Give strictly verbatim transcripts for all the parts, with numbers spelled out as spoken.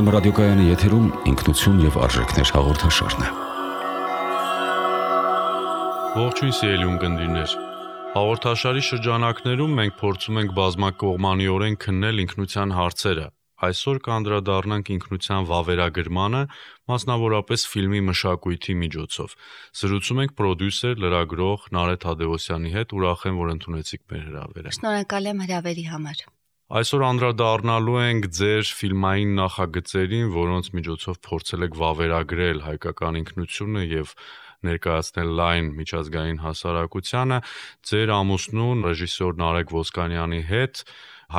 Երգոհայրամը ռադիոկայանի եթերում ինքնություն և արժեքներ հաղորդաշարն է։ Ողջույն սիրելի ունկնդիրներ։ Հաղորդաշարի շրջանակներում մենք փորձում ենք բազմակողմանիորեն քննել ինքնության հարցերը։ Այսօր կանդրադառնանք ինքնության վավերագրմանը, մասնավորապես ֆիլմի մշակույթի միջոցով։ Զրուցում ենք պրոդյուսեր, լրագրող Նարեկ Թադևոսյանի հետ, ուրախ եմ, որ ընդունեցիք մեր հրավերը։ Շնորհակալ եմ հրավերի համար։ Այսօր անդրադառնալու ենք ձեր ֆիլմային նախագծերին, որոնց միջոցով փորձել եք վավերագրել հայկական ինքնությունը եւ ներկայացնել լայն միջազգային հասարակությանը։ Ձեր ամուսնու ռեժիսոր Նարեկ Ոսկանյանի հետ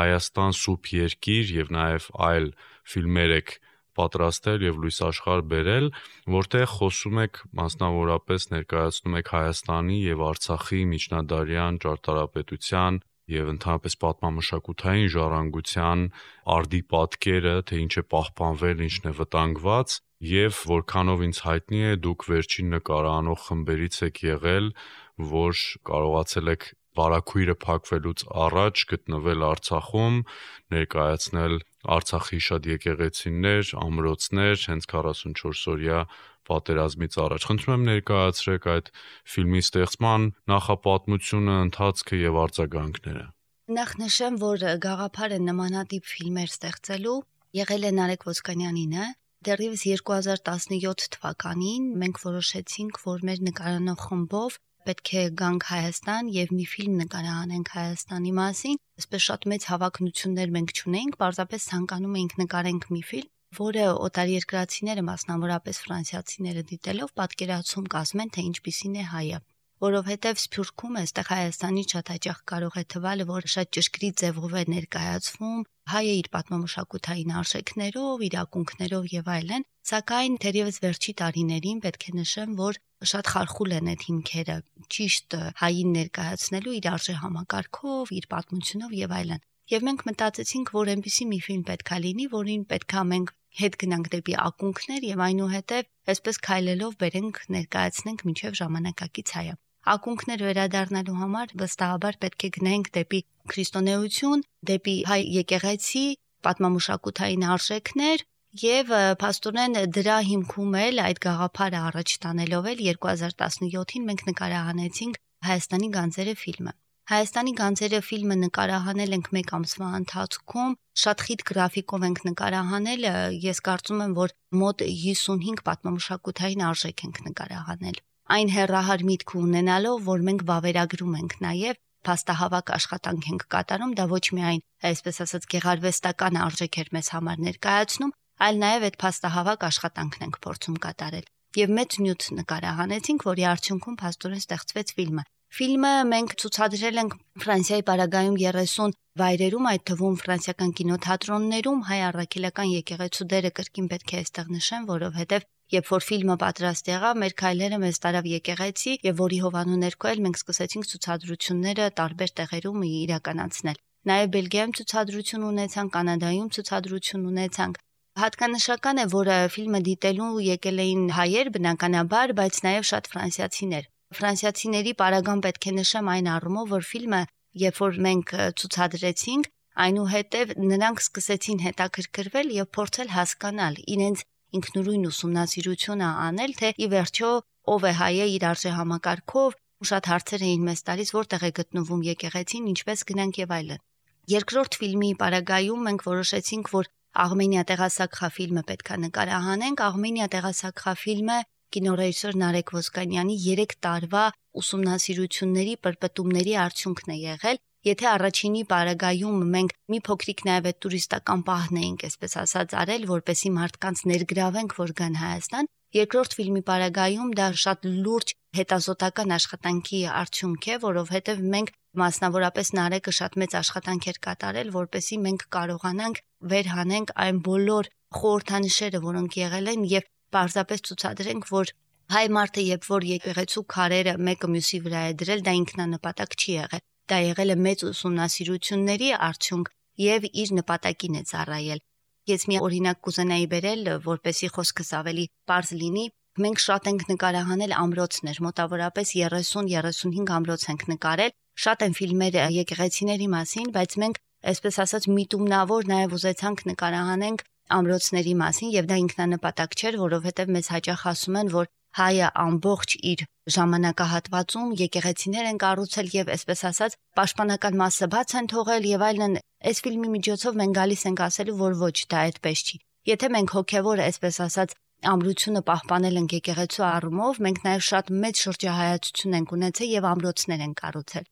Հայաստան սուրբ երկիր եւ նաեւ այլ ֆիլմեր եք պատրաստել եւ լույս աշխարհ բերել, որտեղ խոսում եք մասնավորապես ներկայացնում եք Հայաստանի եւ Արցախի միջնադարյան ճարտարապետության եւ ընդհանրապես պատմամշակութային ժառանգության արդի պատկերը, թե ինչ է պահպանվել, ինչն է վտանգված, եւ որքանով ինձ հայտնի է, դուք վերջին նկարանող խմբերից եք եղել, որ կարողացել եք վարագույրը փակվելուց առաջ գտնվել Արցախում, ներկայացնել Արցախի շատ եկեղեցիներ, ամրոցներ, հենց քառասունչորսօրյա պատերազմից առաջ։ Խնդրում եմ ներկայացրեք այդ ֆիլմի ստեղծման նախապատմությունը, ընթացքը եւ արձագանքները։ Նախ նշեմ, որ գաղափարը նմանատիպ ֆիլմեր ստեղծելու եղել է Նարեկ Ոսկանյանինը։ Դեռևս երկու հազար տասնյոթ թվականին մենք որոշեցինք, որ մեր նկարանող խմբով պետք է գանք Հայաստան եւ մի ֆիլմ նկարահանենք Հայաստանի մասին։ Այսպես շատ մեծ հավակնություններ մենք չունենք, պարզապես ցանկանում էինք նկարենք մի ֆիլմ, որը օտարերկրացիները, մասնավորապես ֆրանսիացիները դիտելով պատկերացում կազմեն, թե ինչպիսին է հայը, որովհետև Սփյուռքում այստեղ Հայաստանի շատ հաճախ կարող է թվալ, որ շատ ճշգրիտ ձևով է ներկայացվում հայը իր պատմամշակութային արժեքներով, իր ակունքներով եւ այլն, սակայն թերևս վերջի տարիներին պետք է նշեմ, որ շատ խարխուլ են այդ հիմքերը, ճիշտ հային ներկայացնելու իր արժեհամակարգով, իր պատմությունով եւ այլն։ Եվ մենք մտածեցինք, որ այնպիսի մի ֆիլմ պետքա լինի, որին պետքա մենք հետ գնանք դեպի ակունքներ եւ այնուհետեւ այսպես քայլելով բերենք ներկայացնենք մինչեւ ժամանակակից հայը։ Ակունքներ վերադառնալու համար վստահաբար պետք է գնանք դեպի քրիստոնեություն, դեպի հայ եկեղեցի, պատմամշակութային արժեքներ եւ փաստորեն դրա հիմքում էլ այդ գաղափարը առաջ տանելով էլ երկու հազար տասնյոթին մենք նկարահանեցինք Հայաստանի գանձերը ֆիլմը։ Հայաստանի գանձերը ֆիլմը նկարահանել ենք մեկ ամսվա ընթացքում, շատ խիտ գրաֆիկով ենք նկարահանել, ես կարծում եմ, որ մոտ հիսունհինգ պատմամշակութային արժեք ենք նկարահանել։ Այն հեռահար միտք ունենալով, որ մենք վավերագրում ենք նաև փաստահավաք աշխատանք ենք կատարում, դա ոչ միայն, այսպես ասած, գեղարվեստական արժեք էր մեզ համար ներկայացնում, այլ նաև այդ փաստահավաք աշխատանքն ենք փորձում կատարել։ Եվ մեծ նյութ նկարահանեցինք, որի արդյունքում փաստորեն ստեղծվեց ֆիլմը։ Ֆիլմը մենք ցուցադրել ենք Ֆրանսիայի պարագայում երեսուն վայրերում, այդ թվում ֆրանսիական կինոթատրոններում, հայ առաքելական եկեղեցու դերը կրկին պետք է այստեղ նշեմ, որովհետև երբ որ ֆիլմը պատրաստ եղավ, մեր քայլերը մեզ տարավ եկեղեցի եւ որի հովանու ներքո էլ մենք սկսեցինք ցուցադրությունները տարբեր տեղերում իրականացնել։ Նաեւ Բելգիայում ցուցադրություն ունեցանք, Կանադայում ցուցադրություն ունեցանք։ Հատկանշական է, որ ֆիլմը դիտելու եկել էին հայեր բնականաբար, բայց նաեւ շատ ֆրանսիացիներ։ Ֆրանսիացիների պարագան պետք է նշեմ այն առումով, որ ֆիլմը, երբ որ մենք ցուցադրեցինք, այնուհետև նրանք սկսեցին հետաքրքրվել եւ փորձել հասկանալ իրենց ինքնուրույն ուսումնասիրությունը անել, թե ի վերջո ով է հայը իր արժեհամակարգով, շատ հարցեր էին մեզ տալիս, որտեղ է գտնվում եկեղեցին, ինչպես գնանք եւ այլն։ Երկրորդ ֆիլմի պարագայում մենք որոշեցինք, որ Աղմենիա տեղասակխա ֆիլմը պետքա նկարահանենք։ Աղմենիա տեղասակխա ֆիլմը կինոռեժիսոր Նարեկ Ոսկանյանի երեք տարվա ուսումնասիրությունների պրպտումների արդյունքն է եղել։ Եթե առաջինի պարագայում մենք մի փոքրիկ նաև այդ տուրիստական պահն էինք, այսպես ասած, արել, որպեսի մարդկանց ներգրավենք, որ գան Հայաստան, երկրորդ ֆիլմի պարագայում դա շատ լուրջ հետազոտական աշխատանքի արդյունք է, որովհետև մենք մասնավորապես Նարեկը շատ մեծ աշխատանք էր կատարել, որպեսի մենք կարողանանք վերհանենք այն բոլոր խորհրդանիշերը, որոնք եղել են եւ պարզապես ցուցադրենք, որ հայ մարդը երբ որ եկեղեցու քարերը մեկը մյուսի վրա է դրել, դա ինքնանպատակ չի եղել։ Դա եղել է մեծ ուսումնասիրությունների արդյունք եւ իր նպատակին է ծառայել։ Ես մի օրինակ կուզենայի բերել, որպեսի խոսքս ավելի པարզ լինի։ Մենք շատ ենք նկարահանել ամրոցներ, մոտավորապես երեսուն երեսունհինգ ամրոց ենք նկարել։ Շատ են ֆիլմեր եկեղեցիների մասին, բայց մենք, այսպես ասած, միտումնավոր նաև ուզեցանք նկարահանենք ամրոցների մասին, եւ դա ինքնանպատակ չէր, որովհետեւ մեզ հաճախ ասում են, որ հայը ամբողջ իր ժամանակահատվածում եկեղեցիներ են կառուցել եւ այսպես ասած պաշտպանական մասը բաց են թողել եւ այլն։ Այս ֆիլմի միջոցով մենք գալիս ենք ասելու, որ ոչ, դա այդպես չի։ Եթե մենք հոգեվոր այսպես ասած ամրությունը պահպանել ենք եկեղեցու առումով, մենք նաեւ շատ մեծ շրջահայացություն ենք ունեցել եւ ամրոցներ են կառուցել։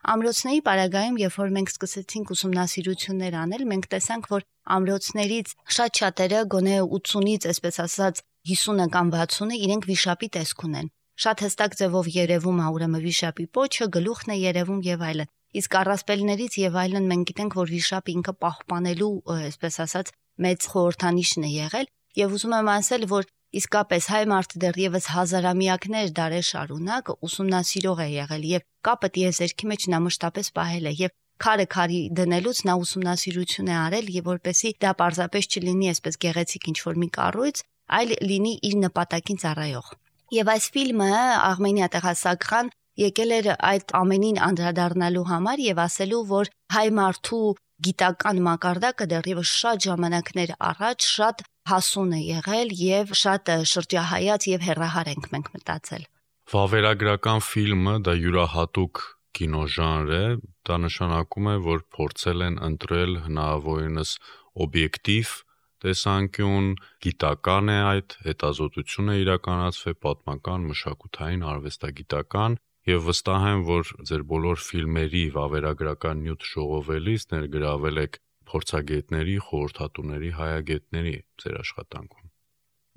Ամրոցների պարագայում, երբ որ մենք սկսեցինք ուսումնասիրություններ անել, մենք տեսանք, որ ամրոցներից շատ շատերը գոնե ութսունից, այսպես ասած, հիսունը կամ վաթսունը իրենք վիշապի տեսք ունեն։ Շատ հստակ ձևով երևում է ուրեմն վիշապի պոչը, գլուխն է երևում եւ այլն։ Իսկ առասպելներից եւ այլն մենք գիտենք, որ վիշապը ինքը պահպանելու, այսպես ասած, մեծ խորհրդանիշն է եղել եւ ուզում եմ ասել, որ իսկապես հայ մարդը դեռևս հազարամյակներ դարեր շարունակ ուսումնասիրող է եղել եւ կապը տիեզերքի մեջ նա մշտապես պահել է եւ քարը քարի դնելուց նա ուսումնասիրություն է արել եւ որպեսի դա պարզապես չլինի այսպես գեղեցիկ ինչ-որ մի կառույց, այլ լինի իր նպատակին ծառայող։ Եվ այս ֆիլմը Արմենիա Տեղասակրան եկել էր այդ ամենին անդրադառնալու համար եւ ասելու, որ հայ մարդու գիտական մակարդակը դեռևս շատ ժամանակներ առաջ շատ հասուն է եղել եւ շատ շրջահայաց եւ հեռահար ենք մենք մտածել։ Վավերագրական ֆիլմը դա յուրահատուկ կինոժանր է, դա նշանակում է, որ փորձել են ընտրել հնարավորինս օբյեկտիվ տեսանկյուն, գիտական է այդ, հետազոտություն է իրականացվել, պատմական, մշակութային, արվեստագիտական եւ վստահ եմ, որ ձեր բոլոր ֆիլմերի վավերագրական նյութ ժողովելիս ներգրավել եք փորձագետների, խորհրդատուների, հայագետների ձեր աշխատանքում։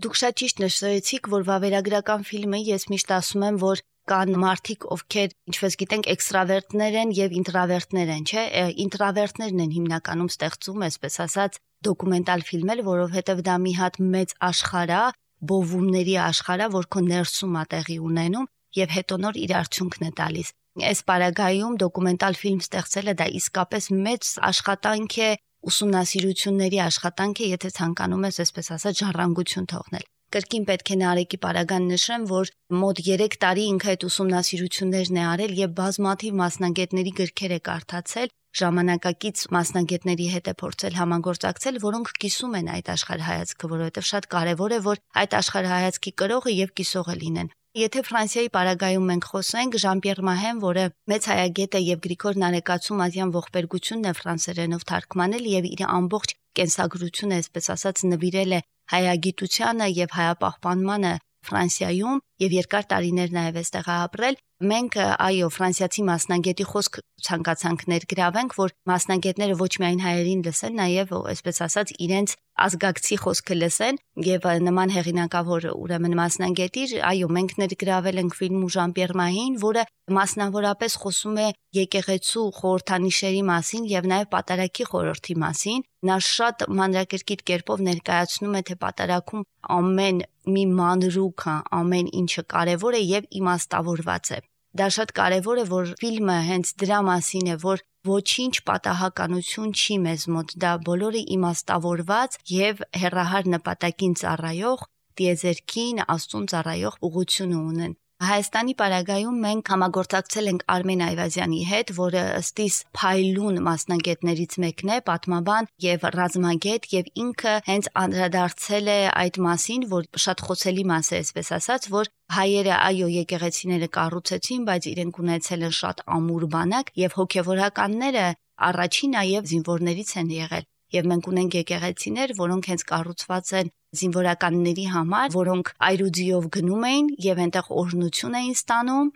Դուք շատ ճիշտ նշեցիք, որ վավերագրական ֆիլմը ես միշտ ասում եմ, որ կան մարդիկ, ովքեր, ինչպես գիտենք, էքստրավերտներ են եւ ինտրավերտներ են, չէ՞։ Ինտրավերտներն են հիմնականում ստեղծում, այսպես ասած, դոկումենտալ ֆիլմեր, որովհետեւ դա մի հատ մեծ աշխարհ է, բովումների աշխարհ է, որ քո ներսում է տեղի ունենում եւ հետո նոր իր արդյունքն է տալիս։ Այս պարագայում դոկումենտալ ֆիլմ ստեղծելը դա իսկապես մեծ աշխատանք է, ուսումնասիրությունների աշխատանք է, եթե ցանկանում ես այսպես ասած ժառանգություն թողնել։ Կրկին պետք է Նարեկի պարագան նշեմ, որ մոտ երեք տարի ինքը այդ ուսումնասիրություններն է արել եւ բազմաթիվ մասնագետների գրքեր է կարդացել, ժամանակակից մասնագետների հետ է փորձել համագործակցել, որոնք կիսում են այդ աշխարհայացքը, որովհետեւ շատ կարեւոր է, որ այդ աշխարհայացքի կրողը եւ կիսողը լինեն։ Եթե Ֆրանսիայի պարագայում մենք խոսենք, Ժան-Պիեր Մահեն, որը մեծ հայագետ է եւ Գրիգոր Նարեկացու Ազյան ողբերգությունն է ֆրանսերենով թարգմանել եւ իր ամբողջ կենսագրությունը, այսպես ասած, նվիրել է հայագիտությանը եւ հայապահպանմանը Ֆրանսիայում եւ երկար տարիներ նաեւ այստեղ ապրել, մենք այո ֆրանսիացի մասնագետի խոսք ցանկացանք ներգրավենք, որ մասնագետները ոչ միայն հայերին լսեն, նաեւ այսպես ասած իրենց ազգակցի խոսքը լսեն եւ նման հեղինակավոր ուրեմն մասնագետի, այո մենք ներգրավել ենք ֆիլմում Ժան-Պիեր Մահին, որը մասնավորապես խոսում է եկեղեցու խորհրդանիշերի մասին եւ նաեւ պատարագի խորհրդի մասին։ Նա շատ մանրակրկիտ կերպով ներկայացնում է, թե պատարագում ամեն մի մանրուքը, ամեն ինչը կարևոր է եւ իմաստավորված է։ Դա շատ կարևոր է, որ ֆիլմը հենց դրա մասին է, որ ոչինչ պատահականություն չի մեզ մոտ, դա բոլորը իմաստավորված եւ հեռահար նպատակին ծառայող, տիեզերքին, Աստծուն ծառայող ուղղություն ունեն։ Հայաստանի պարագայում մենք համագործակցել ենք Արմեն Այվազյանի հետ, որը ըստիս փայլուն մասնագետներից մեկն է, պատմաբան եւ ռազմագետ եւ ինքը հենց անդրադարձել է այդ մասին, որ շատ խոցելի մաս է, այսպես ասած, որ հայերը այո եկեղեցիները կառուցեցին, բայց իրենք ունեցել են շատ ամուր բանակ եւ հոգեվորականները առաջին նաեւ զինվորներից են եղել։ Եվ մենք ունենք եկեղեցիներ, որոնք հենց կառուցված են զինվորականների համար, որոնք այրուձիով գնում էին եւ այնտեղ օրհնություն էին ստանում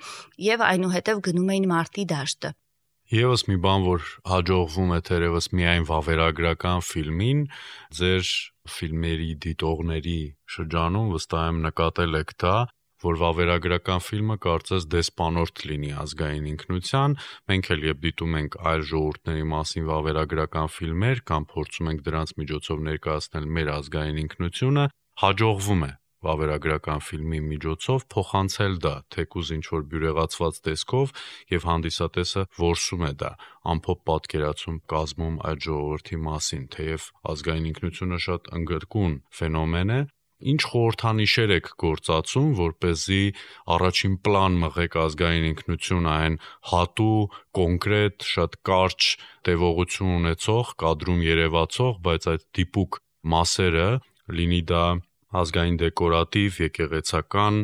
եւ այնուհետեւ գնում էին մարտի դաշտը։ Եվս մի բան, որ հաջողվում է թերևս միայն վավերագրական ֆիլմին, ձեր ֆիլմերի դիտողների շրջանում վստահ եմ նկատել եք դա, որ վավերագրական ֆիլմը կարծես դեսպանորդ լինի ազգային ինքնության, մենք էլ երբ դիտում ենք այլ ժողովուրդների մասին վավերագրական ֆիլմեր կամ փորձում ենք դրանց միջոցով ներկայացնել մեր ազգային ինքնությունը, հաջողվում է վավերագրական ֆիլմի միջոցով փոխանցել դա, թեկուզ ինչ-որ բյուրեղացված տեսքով եւ հանդիսատեսը որսում է դա, ամփոփ պատկերացում կազմում այդ ժողովրդի մասին, թեև ազգային ինքնությունը շատ ընդգրկուն ֆենոմեն է, ինչ խորհրդանիշեր եք գործածում, որպեսզի առաջին պլան մղեք ազգային ինքնությունը այն հատու, կոնկրետ, շատ կարճ տևողություն ունեցող, կադրում երևացող, բայց այդ դիպուկ մասերը, լինի դա ազգային դեկորատիվ, եկեղեցական,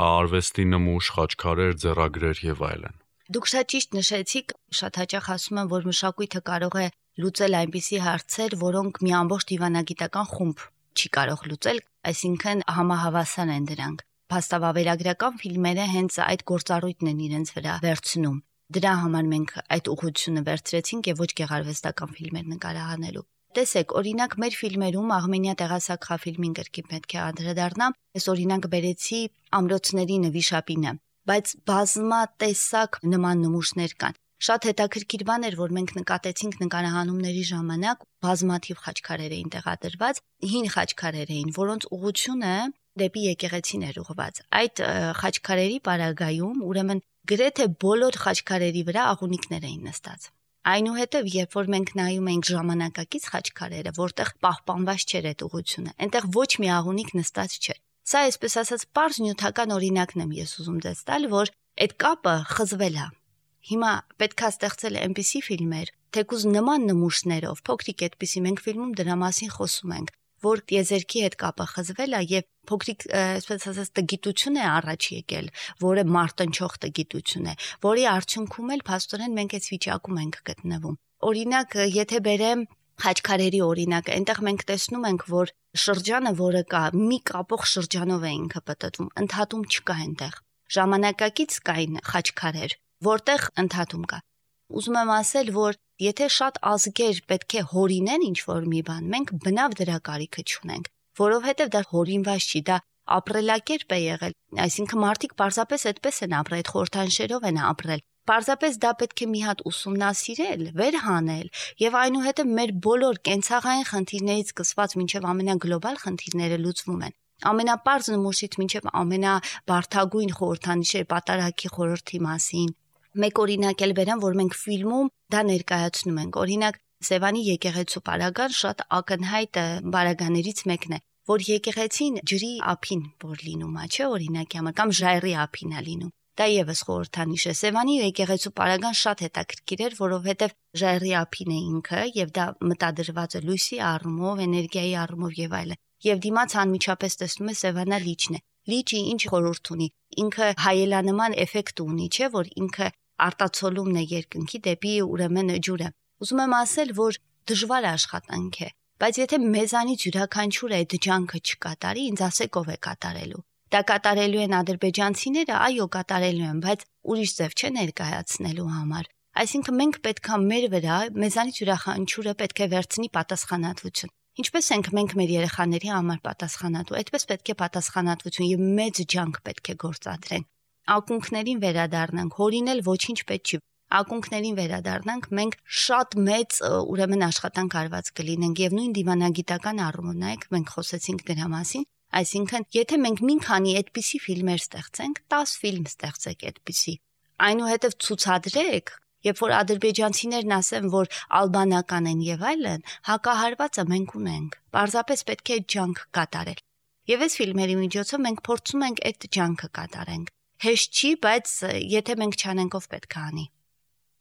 արվեստի նմուշ, խաչքարեր, ձեռագրեր եւ այլն։ Դուք շատ ճիշտ նշեցիք, շատ հաճախ ասում են, որ մշակույթը կարող է լուծել այնպիսի հարցեր, որոնք մի ամբողջ դիվանագիտական խումբ չի կարող լուծել, այսինքն համահավասար են դրանք։ Փաստավավերագրական ֆիլմերը հենց այդ գործառույթն են իրենց վրա վերցնում։ Դրա համար մենք այդ ուղղությունը վերցրեցինք եւ ոչ գեղարվեստական ֆիլմեր նկարահանելու։ Տեսեք, օրինակ մեր ֆիլմերում Արմենիա տեղասակղաֆիլմին կրկին պետք է անդրադառնամ, ես օրինակ բերեցի ամրոցների նվիշապինը, բայց բազմատեսակ նման նմուշներ կան։ Շատ հետաքրքիր բան էր, որ մենք նկատեցինք նկարահանումների ժամանակ բազմաթիվ խաչքարեր էին տեղադրված, հին խաչքարեր էին, որոնց ուղղությունը դեպի եկեղեցին էր ուղղված։ Այդ խաչքարերի պարագայում, ուրեմն գրեթե բոլոր խաչքարերի վրա աղունիկներ էին նստած։ Այնուհետև, երբ որ մենք նայում էինք ժամանակակից խաչքարերը, որտեղ պահպանված չէր այդ ուղղությունը, այնտեղ ոչ մի աղունիկ նստած չէր։ Սա այսպես ասած պարզ նյութական օրինակն եմ ես ուզում դες տալ, որ այդ կապը խզվել է։ Հիմա պետքա ստեղծել այնպիսի ֆիլմեր, թեկուզ նման նմուշներով, փոքրիկ այդպիսի մենք ֆիլմում դրա մասին խոսում ենք, որ տիեզերքի հետ կապը խզվել է եւ փոքրիկ, այսպես ասած, տգիտություն է առաջ եկել, որը մարտնչող տգիտություն է, որի արդյունքում էլ փաստորեն մենք այս վիճակում ենք գտնվում։ Օրինակ, եթե բերեմ խաչքարերի օրինակ, այնտեղ մենք տեսնում ենք, որ շրջանը, որը կա, մի կապող շրջանով է ինքը պատտվում, ընդհատում չկա այնտեղ։ Ժամանակակից կային խաչքարեր, որտեղ ընդհատում կա։ Ուզում եմ ասել, որ եթե շատ ազգեր պետք է հորինեն ինչ-որ մի բան, մենք բնավ դրա կարիքը չունենք, որովհետև դա հորինված չի, դա ապրելակերպ է եղել, այսինքն մարդիկ պարզապես այդպես են ապրել, այդ խորհրդանշերով են ապրել։ Պարզապես դա պետք է մի հատ ուսումնասիրել, վերհանել եւ այնուհետեւ մեր բոլոր կենցաղային խնդիրներից սկսված մինչեւ ամենագլոբալ խնդիրները լուծվում են։ Ամենապարզ նմուշից մինչեւ ամենաբարդագույն խորհրդանիշեր պատարագի խորհրդի մասին։ Մեկ օրինակ էլ բերեմ, որ մենք ֆիլմում դա ներկայացնում ենք։ Օրինակ Սևանի եկեղեցու պարագան շատ ակնհայտ բարագաներից մեկն է, որ եկեղեցին ջրի ափին որ լինում է, չէ՞, օրինակի համար կամ ժայռի ափին է լինում։ Դա եւս խորհրդանիշ է։ Սևանի եկեղեցու պարագան շատ հետաքրքիր էր, որովհետեւ ժայռի ափին է ինքը եւ դա մտադրված է լույսի առումով, էներգիայի առումով եւ այլն։ Եվ դիմաց անմիջապես տեսնում է Սևանա լիճն է։ Լիճի ինչ խորհուրդ ունի։ Ինքը հայելանման էֆեկտ ունի, չէ՞, որ ինքը արտացոլումն է երկնքի դեպի ուրեմն ջուրը։ Ուզում եմ ասել, որ դժվար աշխատանք է, բայց եթե մեզանից յուրաքանչյուրը այդ ջանքը չկատարի, ինձ ասեք ով է կատարելու։ Դա կատարելու են ադրբեջանցիները, այո, կատարելու են, բայց ուրիշ ձև չէ ներկայացնելու համար։ Այսինքն մենք պետքա մեր վրա, մեզանից յուրաքանչյուրը պետք է վերցնի պատասխանատվություն։ Ինչպես ենք մենք մեր երեխաների համար պատասխանատու, այդպես պետք է պատասխանատվություն եւ մեծ ջանք պետք է գործադրենք։ Ակունքներին վերադառնանք, հորինել ոչինչ պետք չի։ Ակունքներին վերադառնանք, մենք շատ մեծ ուրեմն աշխատանք արված կլինենք եւ նույն դիվանագիտական առումով նայեք, մենք խոսեցինք դրա մասին, այսինքն եթե մենք մի քանի այդպիսի ֆիլմեր ստեղծենք, դես ֆիլմ ստեղծեք այդպիսի, այնուհետեւ ցուցադրեք, երբ որ ադրբեջանցիներն ասեն, որ ալբանական են եւ այլն, հակահարվածը մենք ունենք։ Պարզապես պետք է ջանք կատարել։ Եվ այս ֆիլմերի միջոցով մենք փորձում ենք այդ ջանքը կատարենք։ Հեշտ չի, բայց եթե մենք չանենք, ով պետք է անի։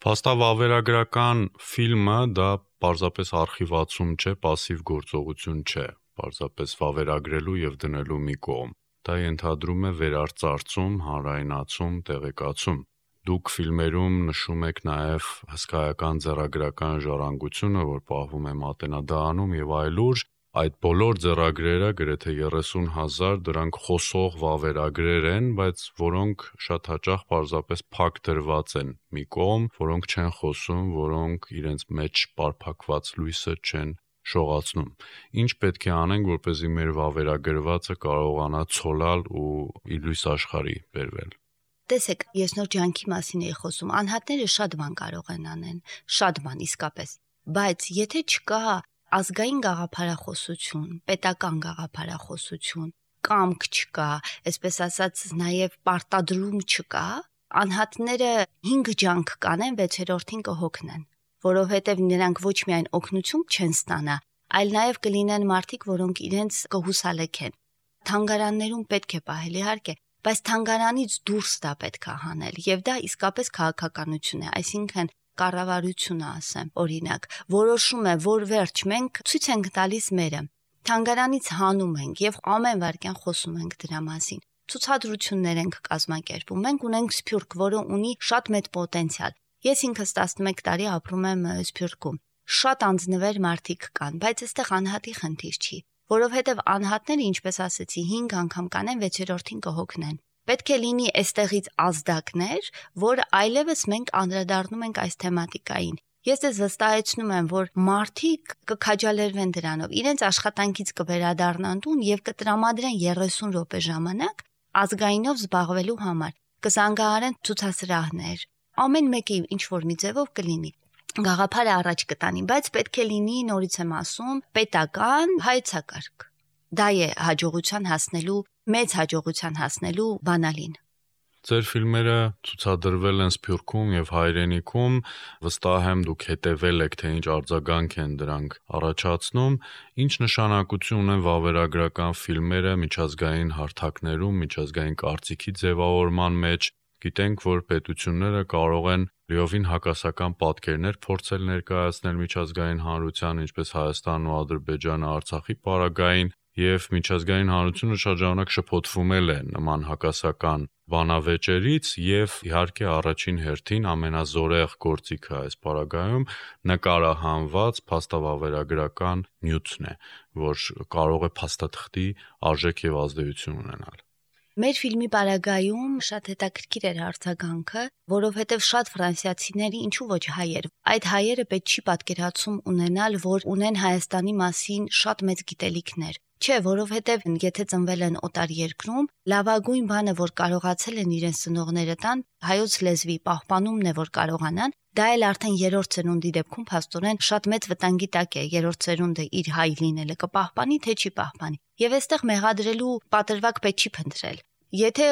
Փաստավավերագրական ֆիլմը դա պարզապես արխիվացում չէ, пассив գործողություն չէ, պարզապես վավերագրելու եւ դնելու մի կողմ։ Դա ենթադրում է վերարծարծում, հանրայնացում, տեղեկացում։ Դուք ֆիլմերում նշում եք նաև հսկայական ձեռագրական ժառանգությունը, որ պահվում է Մատենադահանում եւ այլուր, այդ բոլոր ձեռագրերը գրեթե երեսուն հազար դրանք խոսող վավերագրեր են, բայց որոնք շատ հաճախ պարզապես փակ դրված են մի կողմ, որոնք չեն խոսում, որոնք իրենց մեջ պարփակված լույսը չեն շողացնում։ Ինչ պետք է անենք, որպեսզի մեր վավերագրվածը կարողանա ցոլալ ու իր լույս աշխարհի բերվել։ Տեսեք, ես նոր ջանքի մասին էի խոսում, անհատները շատ բան կարող են անեն, շատ բան իսկապես, բայց եթե չկա ազգային գաղափարախոսություն, պետական գաղափարախոսություն, կամք չկա, այսպես ասած, նաև պարտադրում չկա, անհատները հինգ ջանք կանեն, վեցերորդին կհոգնեն, որովհետև նրանք ոչ միայն օգնություն չեն ստանա, այլ նաև կլինեն մարդիկ, որոնք իրենց կհուսալեքեն։ Թանգարաններում պետք է պահել, իհարկե, բայց թանգարանից դուրս դա պետք է հանել, եւ դա իսկապես քաղաքականություն է, այսինքն կառավարությունը ասեմ, օրինակ, որոշում է, որ վերջ մենք ցույց ենք տալիս մերը։ թանգարանից հանում ենք եւ ամեն վարքյան խոսում ենք դրա մասին։ Ցուցադրություններ ենք կազմակերպում։ Մենք ունենք Սփյուռք, որը ունի շատ մեծ պոտենցիալ։ Ես ինքս տասնմեկ տարի ապրում եմ Սփյուռքում։ Շատ անձնվեր մարդիկ կան, բայց այստեղ անհատի խնդիր չի, որովհետեւ անհատները, ինչպես ասեցի, հինգ անգամ կանեն, վեցերորդին կհոգնեն։ Պետք է լինի այստեղից ազդակներ, որ այլևս մենք անդրադառնում ենք այս թեմատիկային։ Ես դες վստահեցնում եմ, որ մարդիկ կքաջալերվեն դրանով, իրենց աշխատանքից կվերադառնան տուն եւ կտրամադրեն երեսուն րոպե ժամանակ ազգայինով զբաղվելու համար, կզանգահարեն ցուցասրահներ, ամեն մեկի ինչ որ մի ձևով կլինի, գաղափարը առաջ կտանի, բայց պետք է լինի, նորից եմ ասում, պետական հայեցակարգ։ Դա է հաջողության հասնելու, մեծ հաջողության հասնելու բանալին։ Ձեր ֆիլմերը ցուցադրվել են Սփյուռքում եւ Հայրենիքում, վստահ եմ դուք հետեւել եք, թե ինչ արձագանք են դրանք առաջացնում, ինչ նշանակություն ունեն վավերագրական ֆիլմերը միջազգային հարթակներում, միջազգային կարծիքի ձևավորման մեջ։ Գիտենք, որ պետությունները կարող են լիովին հակասական պատկերներ փորձել ներկայացնել միջազգային հանրության, ինչպես Հայաստանն ու Ադրբեջանը Արցախի պարագային, եւ միջազգային հանրությունը շատ ժամանակ շփոթվում է նման հակասական բանավեճերից եւ իհարկե առաջին հերթին ամենազորեղ գործիքը այս պարագայում նկարահանված փաստավավերագրական նյութն է, որ կարող է փաստաթղթի արժեք եւ ազդեցություն ունենալ։ Մեր ֆիլմի պարագայում շատ հետաքրքիր էր արձագանքը, որովհետև շատ ֆրանսիացիների, ինչու ոչ հայեր, այդ հայերը պետք չի պատկերացում ունենալ, որ ունեն Հայաստանի մասին շատ մեծ գիտելիքներ։ Չէ, որովհետև եթե ծնվել են օտար երկրում, լավագույն բանը, որ կարողացել են իրենց ծնողները տան, հայոց լեզվի պահպանումն է, որ կարողանան, դա էլ արդեն երրորդ ծնունդի դեպքում փաստորեն շատ մեծ վտանգի տակ է, երրորդ ծնունդը իր հայ լինելը կպահպանի, թե չի պահպանի։ Եվ այստեղ մեղադրելու պատրվակ պետք չի փնտրել։ Եթե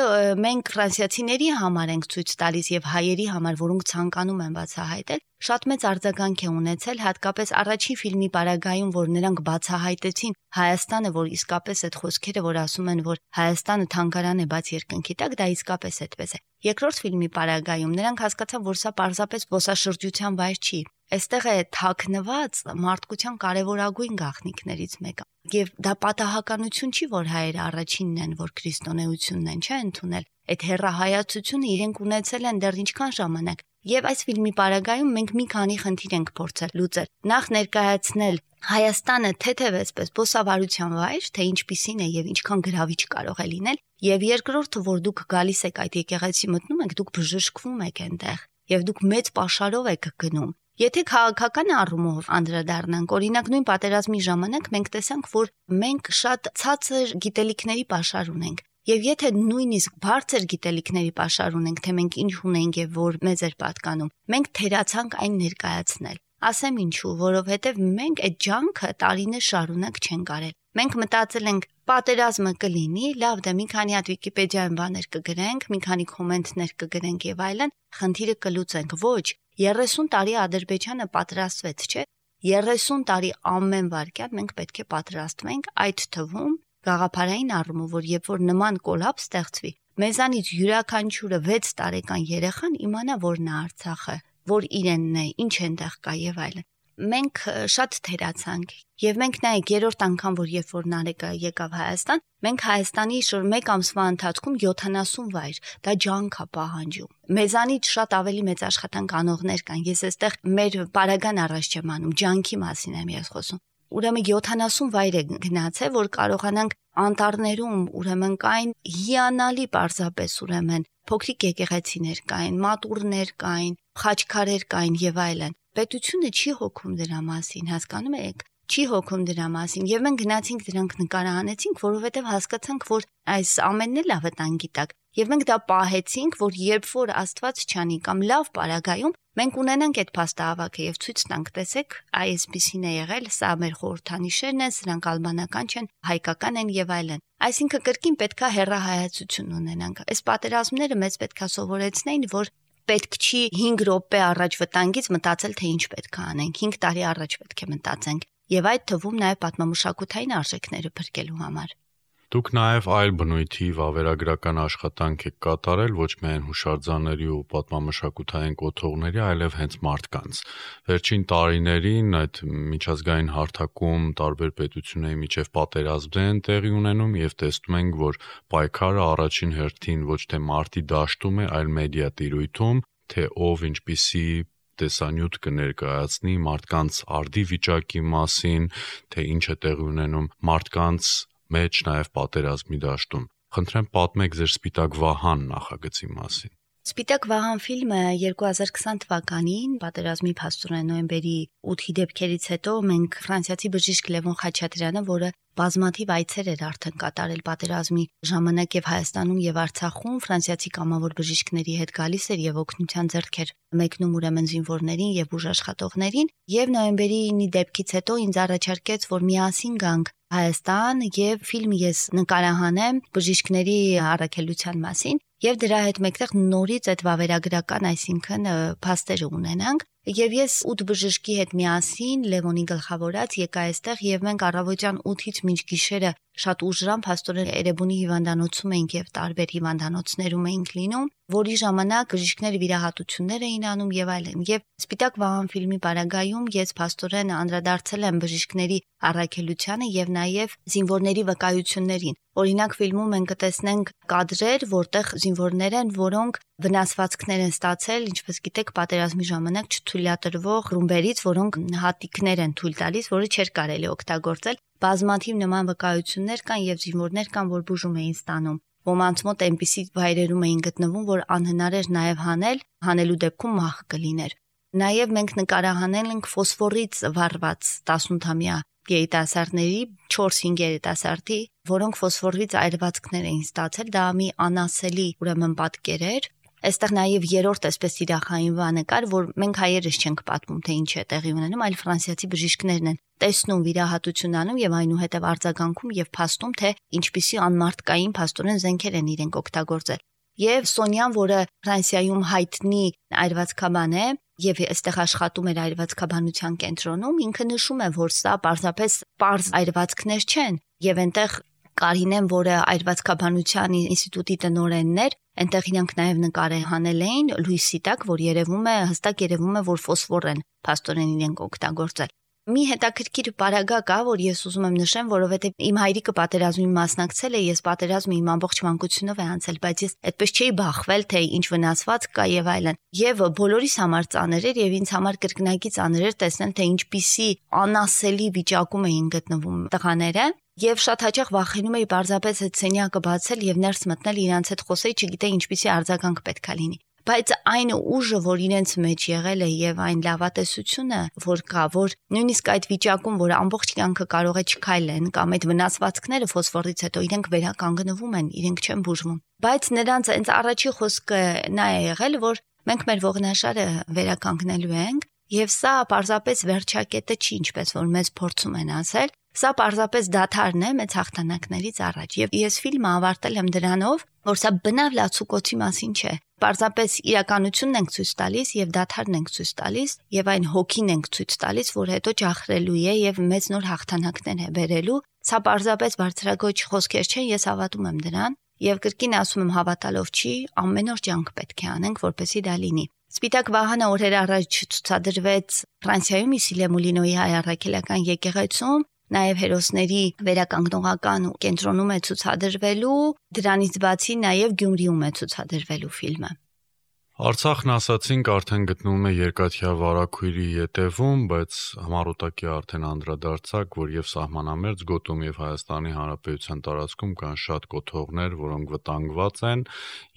մենք ֆրանսիացիների համար ենք ցույց տալիս եւ հայերի համար, որոնք ցանկանում են բացահայտել, շատ մեծ արձագանք է ունեցել, հատկապես առաջին ֆիլմի պարագայում, որ նրանք բացահայտեցին Հայաստանը, որ իսկապես այդ խոսքերը, որ ասում են, որ Հայաստանը թանգարան է բաց երկնքի տակ, դա իսկապես այդպես է։ Երկրորդ ֆիլմի պարագայում նրանք հասկացան, որ սա պարզապես զբոսաշրջության վայր չի։ Այստեղ է թաքնված մարդկության կարևորագույն գաղտնիքներից մեկը։ Եվ դա պատահականություն չի, որ հայերը առաջինն են, որ քրիստոնեությունն են, չէ՞ ընդունել։ Այդ հերրահայացությունը իրենք ունեցել են դեռ ինչքան ժամանակ։ Եվ այս ֆիլմի պարագայում մենք մի քանի խնդիր ենք փորձել լուծել։ Նախ ներկայացնել Հայաստանը թեթև այսպես բոսավարության վայր, թե ինչպիսին է եւ ինչքան գրավիչ կարող է լինել, եւ երկրորդը, որ դուք գալիս եք այդ եկեղեցի մտնում եք, դուք բժշկվում եք այնտեղ, եւ դուք մեծ պաշարով եք գնում։ Եթե քաղաքական առումով անդրադառնանք, օրինակ նույն պատերազմի ժամանակ մենք տեսանք, որ մենք շատ ցածր գիտելիքների պաշար ունենք։ Եվ եթե նույնիսկ բարձր գիտելիքների պաշար ունենք, թե մենք ինչ ունենք եւ որ մեզ էր պատկանում, մենք թերացանք այն ներկայացնել։ Ասեմ ինչու, որովհետև մենք այդ ջանքը տարիներ շարունակ չենք արել։ Մենք մտածել ենք, պատերազմը կլինի, լավ, դե մի քանի հատ Վիկիպեդիայում բաներ կգրենք, մի քանի կոմենտներ կգրենք եւ այլն, խնդիրը կլուծենք։ Ոչ, երեսուն տարի Ադրբեջանը պատրաստվեց, չէ՞։ երեսուն տարի ամեն վարքյան մենք պետք է պատրաստվենք, այդ թվում գաղափարային առումով, որ երբ որ նման կոլապս ստեղծվի, մեզանից յուրաքանչյուրը վեց տարեկան երեխան իմանա, որ նա Արցախը, որ իրենն է, ինչ այնտեղ կա եւ այլն։ Մենք շատ թերացանք եւ մենք նայեք երրորդ անգամ, որ երբ որ Նարեկը եկավ Հայաստան, մենք Հայաստանի շուրջ մեկ ամսվա ընթացքում յոթանասուն վայր, դա ջանք է պահանջում։ Մեզանից շատ ավելի մեծ աշխատանք անողներ կան։ Ես այստեղ մեր պարագան առաջ չեմ անում, ջանքի մասին եմ ես խոսում։ Ուրեմն յոթանասուն վայր է գնացել, որ կարողանանք անտառներում, ուրեմն կային հիանալի պարզապես, ուրեմն փոքրիկ եկեղեցիներ կային, մատուրներ կային, խաչքարեր կային եւ այլն։ Պետությունը չի հոգում դրա մասին, հասկանում եք, չի հոգում դրա մասին եւ մենք գնացինք դրանք նկարահանեցինք, որովհետեւ հասկացանք, որ այս ամենն էլ վտանգի տակ եւ մենք դա պահեցինք, որ երբ որ Աստված չանի կամ լավ պարագայում մենք ունենանք այդ փաստահավաքը եւ ցույց տանք, տեսեք, այսպեսին է եղել, սա մեր խորհրդանիշերն են, սրանք ալբանական չեն, հայկական են եւ այլն։ Այսինքն կրկին պետքա հերրահայացություն ունենանք։ Այս պատերազմները մեզ պետքա սովորեցնեին, որ պետք չի հինգ րոպե առաջ վտանգից մտածել, թե ինչ պետք է անենք, հինգ տարի առաջ պետք է մտածենք եւ այդ թվում նաեւ պատմամշակութային արժեքները փրկելու համար։ Դուք նաև այլ բնույթի վավերագրական աշխատանք եք կատարել ոչ միայն հուշարձանների ու պատմամշակութային կոթողների, այլև հենց մարդկանց։ Վերջին տարիներին այդ միջազգային հարթակում տարբեր պետությունների միջև պատերազմներ են տեղի ունենում եւ տեսնում ենք, որ պայքարը առաջին հերթին ոչ թե մարտի դաշտում է, այլ մեդիա տիրույթում, թե ով ինչպիսի տեսանյութ կներկայացնի մարդկանց արդի վիճակի մասին, թե ինչ է տեղի ունենում մարդկանց մեջ նաև պատերազմի դաշտում։ Խնդրեմ պատմեք ձեր Սպիտակ Վահան նախագծի մասին։ Սպիտակ Վահան ֆիլմը երկու հազար քսան թվականին պատերազմի փաստորեն նոյեմբերի ութի դեպքերից հետո մենք ֆրանսիացի բժիշկ Լևոն Խաչատրյանը, որը բազմաթիվ այցեր էր արդեն կատարել պատերազմի ժամանակ եւ Հայաստանում եւ Արցախում, ֆրանսիացի կամավոր բժիշկների հետ գալիս էր եւ օգնության ձեռք էր մեկնում ուրեմն զինվորներին եւ ուժաշխատողներին, եւ նոյեմբերի դեպքից հետո ինձ առաջարկեց, որ միասին գանք Հայաստան եւ ֆիլմ ես նկարահանեմ բժիշկների առաքելության մասին եւ դրա հետ մեկտեղ նորից այդ վավերագրական, այսինքն փաստերը ունենանք եւ ես ութ բժշկի հետ միասին Լևոնի գլխավորած եկա այստեղ եւ մենք առավոտյան ութից մինչ գիշերը շատ ուժրամ փաստորեն Էրեբունի հիվանդանոցում էինք եւ տարբեր հիվանդանոցներում էինք լինում, որի ժամանակ բժիշկները վիրահատություններ էին անում եւ այլն։ Եվ Սպիտակ Վահան ֆիլմի բարագայում ես փաստորեն անդրադարձել եմ բժիշկների առաքելությանը եւ նաեւ զինվորների վկայություններին։ Օրինակ ֆիլմում մենք կտեսնենք կադրեր, որտեղ զինվորներ են, որոնք վնասվածքներ են ստացել, ինչպես գիտեք, պատերազմի ժամանակ չթույլատրվող ռումբերից, որոնք հատիկներ են թույլ տալիս, որը չէր կարելի օգտագործել։ Բազմաթիվ նման վկայություններ կան եւ զինվորներ կան, որ բուժում էին ստանում։ Ոմանց մոտ այնպիսի վայրերում էին գտնվում, որ անհնար էր նաեւ հանել, հանելու դեպքում մահ կլիներ։ Նաեւ մենք նկարահանել ենք ֆոսֆորից վառված տասնութամյա երիտասարդների չորս-հինգ երիտասարդի, որոնք ֆոսֆորից այրվածքներ էին ստացել, դա մի անասելի ուրեմն պատկեր էր։ Այստեղ նաև երրորդ այսպես իրախային բանը կար, որ մենք հայերս չենք պատմում, թե ինչ է տեղի ունենում, այլ ֆրանսիացի բժիշկներն են տեսնում, վիրահատություն անում եւ այնուհետեւ արձագանքում եւ փաստում, թե ինչպիսի անմարտկային փաստորեն զենքեր են իրենք օգտագործել։ Եվ Սոնյան, որը Ֆրանսիայում հայտնի այրվածքաբան է եւ այստեղ աշխատում էր այրվածքաբանության կենտրոնում, ինքը նշում է, որ սա պարզապես պարզ այրվածքներ չեն եւ այնտեղ Կարինեն, որը այրվածքաբանության ինստիտուտի տնօրենն էր, այնտեղ իրանք նաև նկարահանել էին լույսի տակ, որ երևում է, հստակ երևում է, որ ֆոսֆոր են փաստորեն իրենք օգտագործել։ Մի հետաքրքիր պարագա կա, որ ես ուզում եմ նշեմ, որովհետև իմ հայրիկը պատերազմի մասնակցել է, ես պատերազմի իմ ամբողջ մանկությունով է անցել, բայց ես այդպես չէի բախվել, թե ինչ վնասված կա եւ այլն։ Եվ բոլորիս համար ծանր էր եւ ինձ համար կրկնակի ծանր էր տեսնել, թե ինչպիսի անասելի վիճակում էին գտնվում տղաները։ Եվ շատ հաճախ վախենում էի պարզապես այդ սենյակը բացել եւ ներս մտնել իրանց հետ խոսեի, չգիտեի ինչպիսի արձագանք պետքա լինի։ Բայց այն ուժը, որ իրենց մեջ եղել է եւ այն լավատեսությունը, որ կա, որ նույնիսկ այդ վիճակում, որ ամբողջ կյանքը կարող է չքայլեն կամ այդ վնասվածքները ֆոսֆորից հետո իրենք վերականգնվում են, իրենք չեն բուժվում։ Բայց նրանց այնց առաջի խոսքը նա է եղել, որ մենք մեր ողնաշարը վերականգնելու ենք եւ սա պարզապես վերջակետը չի, ինչպես որ մեզ փորձում են ասել։ Սա պարզապես դադարն է մեծ հաղթանակներից առաջ եւ ես ֆիլմը ավարտել եմ դրանով, որ սա բնավ լացուկոցի մասին չէ։ Պարզապես իրականությունն ենք ցույց տալիս եւ դադարն ենք ցույց տալիս եւ այն հոգին ենք ցույց տալիս, որ հետո ճախրելու է եւ մեծ նոր հաղթանակներ է բերելու։ Սա պարզապես բարձրագույն խոսքեր չեն, ես հավատում եմ դրան եւ կրկին ասում եմ հավատալով չի, ամեն օր ջանք պետք է անենք, որպեսզի դա լինի։ Սպիտակ Վահանը օրեր առաջ ցուցադրվեց Ֆրանսիայում Իսիլե Մուլինոյի հայ առաքելական եկեղեցում, նաև հերոսների վերականգնողական կենտրոնում է ցուցադրվելու, դրանից բացի նաև Գյումրիում է ցուցադրվելու ֆիլմը։ Արցախն ասացինք արդեն գտնվում է երկաթյա վարակույրի ետևում, բայց համառոտակի արդեն անդրադարձակ, որ եւ սահմանամերձ գոտում եւ Հայաստանի Հանրապետության տարածքում կան շատ կոթողներ, որոնք վտանգված են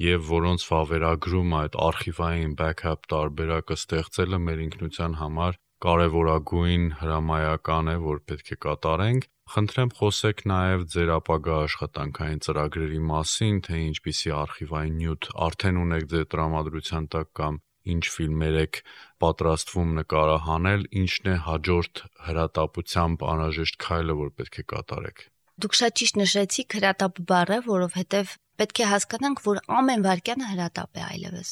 եւ որոնց վավերագրումը այդ արխիվային backup տարբերակը ստեղծելը մեր ինքնության համար կարևորագույն հրամայական է, որ պետք է կատարենք։ Խնդրեմ խոսեք նաև ձեր ապագա աշխատանքային ծրագրերի մասին, թե ինչպիսի արխիվային նյութ արդեն ունեք ձեր տրամադրության տակ կամ ինչ ֆիլմեր եք պատրաստվում նկարահանել, ինչն է հաջորդ հրատապությամբ անհրաժեշտ քայլը, որ պետք է կատարեք։ Դուք շատ ճիշտ նշեցիք հրատապ բառը, որովհետև պետք է հասկանանք, որ ամեն վարքյանը հրատապ է այլևս։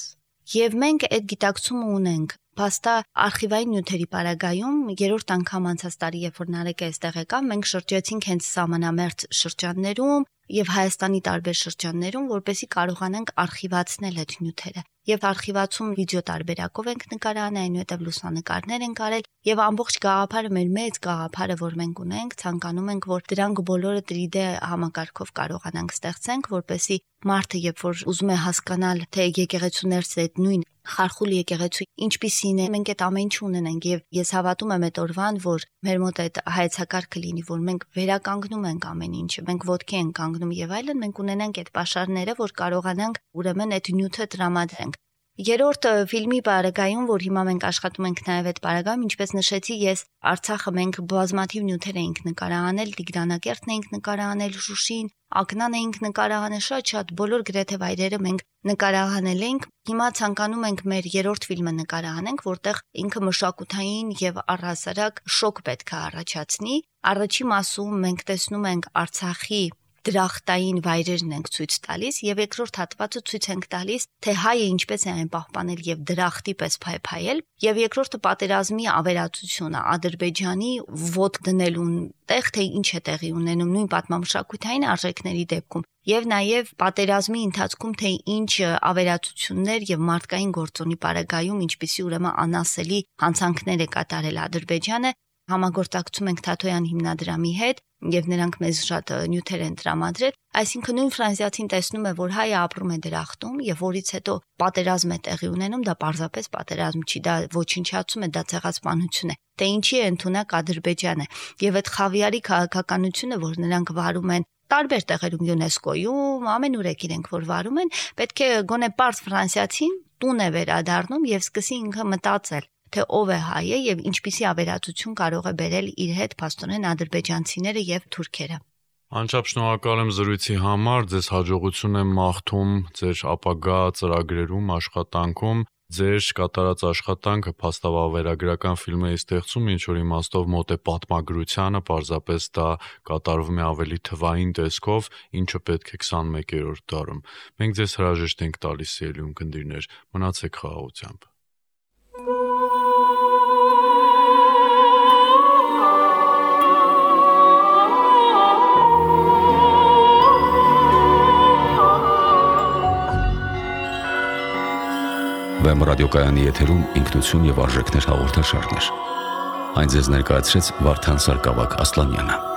Եվ մենք այդ գիտակցումը ունենք։ Փաստա արխիվային նյութերի պարագայում երրորդ անգամ անցած տարի, երբ որ Նարեկը այստեղ եկավ, մենք շրջեցինք հենց սահմանամերձ շրջաններում, եւ Հայաստանի տարբեր շրջաններում, որպեսզի կարողանանք արխիվացնել այդ նյութերը։ Եվ արխիվացում վիդեո տարբերակով ենք նկարահանել, այնուհետև լուսանկարներ ենք արել եւ ամբողջ գաղափարը մեր մեծ գաղափարը, որ մենք ունենք, ցանկանում ենք, որ դրանք բոլորը տրի դե համակարգով կարողանանք ստեղծենք, որպեսզի մարդը, երբ որ ուզում է հասկանալ, թե եկեղեցու ներսը այդ նույն խարխուլ եկեղեցու ինչպիսին է, մենք այդ ամեն ինչ ունենենք եւ ես հավատում եմ այդ օրվան, որ մեր մոտ այդ հայեցակարգը լինի, որ մենք վերականգնում ենք ամեն ինչը, մենք ոտքի ենք կանգնում եւ այլն, մենք ունենանք այդ պաշարները, որ կարողանանք ուրեմն այդ նյութը տրամադրենք։ Երրորդ ֆիլմի բարագայում, որ հիմա մենք աշխատում ենք նաև այդ բարագայում, ինչպես նշեցի, ես Արցախը մենք բազմաթիվ նյութեր էինք նկարահանել, Տիգրանակերտն էինք նկարահանել, Շուշին, Ակնան էինք նկարահանել, շատ-շատ բոլոր գրեթե վայրերը մենք նկարահանել ենք։ Հիմա ցանկանում ենք մեր երրորդ ֆիլմը նկարահանենք, որտեղ ինքը մշակութային եւ առհասարակ շոկ պետք է առաջացնի։ Առաջի մասում մենք տեսնում ենք Արցախի դրախտային վայրերն ենք ցույց տալիս եւ երկրորդ հատվածը ցույց ենք տալիս, թե հայը ինչպես է այն պահպանել եւ դրախտի պես փայփայել, եւ երկրորդը պատերազմի ավերածությունը, Ադրբեջանի ոտ դնելուն տեղ, թե ինչ է տեղի ունենում նույն պատմամշակութային արժեքների դեպքում, եւ նաեւ պատերազմի ընթացքում թե ինչ ավերածություններ եւ մարդկային գործոնի պարագայում ինչպիսի ուրեմն անասելի հանցանքներ է կատարել Ադրբեջանը։ Համագործակցում ենք Թաթոյան հիմնադրամի հետ եւ նրանք մեզ շատ նյութեր են տրամադրել, այսինքն նույն ֆրանսիացին տեսնում է, որ հայը ապրում է դրախտում եւ որից հետո պատերազմ է տեղի ունենում, դա պարզապես պատերազմ չի, դա ոչնչացում է, դա ցեղասպանություն է, թե ինչի է ընդունակ Ադրբեջանը եւ այդ խավիարի քաղաքականությունը, որ նրանք վարում են տարբեր տեղերում ՅՈՒՆԵՍԿՕ-ում, ամենուր եք իրենք որ վարում են, պետք է գոնե պարզ ֆրանսիացին տուն է վերադառնում եւ սկսի ինքը մտածել, թե ով է հայը եւ ինչպիսի ավերածություն կարող է բերել իր հետ փաստորեն ադրբեջանցիները եւ թուրքերը։ Անչափ շնորհակալ եմ զրույցի համար, ձեզ հաջողություն եմ մաղթում ձեր ապագա ծրագրերում, աշխատանքում, ձեր կատարած աշխատանքը փաստավավերագրական ֆիլմերի ստեղծում ինչ որ իմաստով մոտ է պատմագրությանը, պարզապես դա կատարվում է ավելի թվային տեսքով, ինչը պետք է քսանմեկերորդ դարում։ Մենք ձեզ հրաժեշտ ենք տալիս սիրելի ունկնդիրներ, մնացեք խաղաղությամբ։ Վեմ ռադիոկայանի եթերում ինքնություն եւ արժեքներ հաղորդաշարներ։ Այն ձեզ ներկայացրեց Վարդան Սարգսակ Ասլանյանը։